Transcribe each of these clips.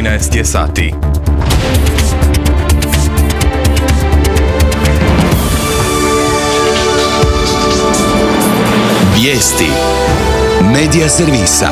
13 je sati. Vijesti Medija servisa.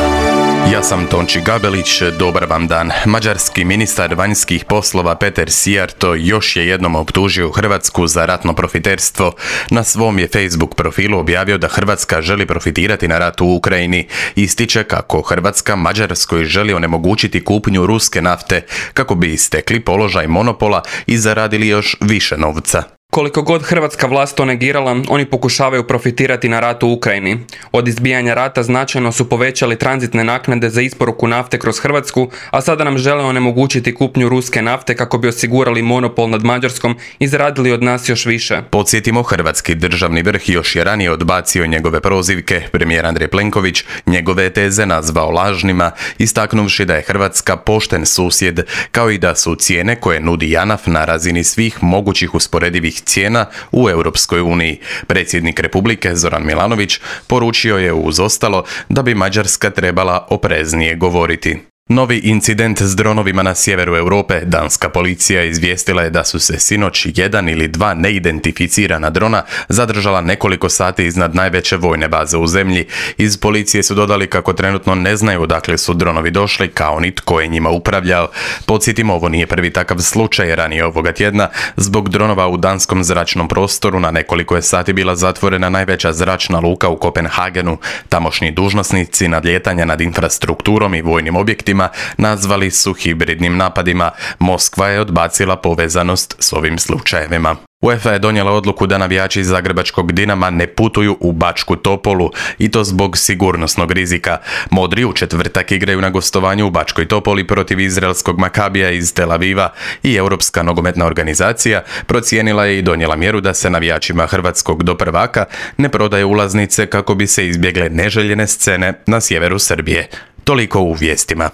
Ja sam Tonči Gabelić, dobar vam dan. Mađarski ministar vanjskih poslova Peter Szijjártó još je jednom optužio Hrvatsku za ratno profiterstvo. Na svom je Facebook profilu objavio da Hrvatska želi profitirati na ratu u Ukrajini. Ističe kako Hrvatska Mađarskoj želi onemogućiti kupnju ruske nafte kako bi stekli položaj monopola i zaradili još više novca. Koliko god hrvatska vlast to negirala, oni pokušavaju profitirati na ratu u Ukrajini. Od izbijanja rata značajno su povećali tranzitne naknade za isporuku nafte kroz Hrvatsku, a sada nam žele onemogućiti kupnju ruske nafte kako bi osigurali monopol nad Mađarskom i zaradili od nas još više. Podsjetimo, hrvatski državni vrh još je ranije odbacio njegove prozivke. Premijer Andrej Plenković njegove teze nazvao lažnima, istaknuvši da je Hrvatska pošten susjed, kao i da su cijene koje nudi JANAF na razini svih mogućih usporedivih cijena u Europskoj uniji. Predsjednik Republike Zoran Milanović poručio je uz ostalo da bi Mađarska trebala opreznije govoriti. Novi incident s dronovima na sjeveru Europe. Danska policija izvijestila je da su se sinoć jedan ili dva neidentificirana drona zadržala nekoliko sati iznad najveće vojne baze u zemlji. Iz policije su dodali kako trenutno ne znaju odakle su dronovi došli, kao ni tko je njima upravljao. Podsjetimo, ovo nije prvi takav slučaj. Ranije ovoga tjedna zbog dronova u danskom zračnom prostoru na nekoliko je sati bila zatvorena najveća zračna luka u Kopenhagenu. Tamošnji dužnosnici nadlijetanja nad infrastrukturom i vojnim objektima nazvali su hibridnim napadima. Moskva je odbacila povezanost s ovim slučajevima. UEFA je donijela odluku da navijači zagrebačkog Dinama ne putuju u Bačku Topolu, i to zbog sigurnosnog rizika. Modri u četvrtak igraju na gostovanju u Bačkoj Topoli protiv izraelskog Makabija iz Tel Aviva i Europska nogometna organizacija procijenila je i donijela mjeru da se navijačima hrvatskog do prvaka ne prodaje ulaznice kako bi se izbjegle neželjene scene na sjeveru Srbije. Toliko u vijestima.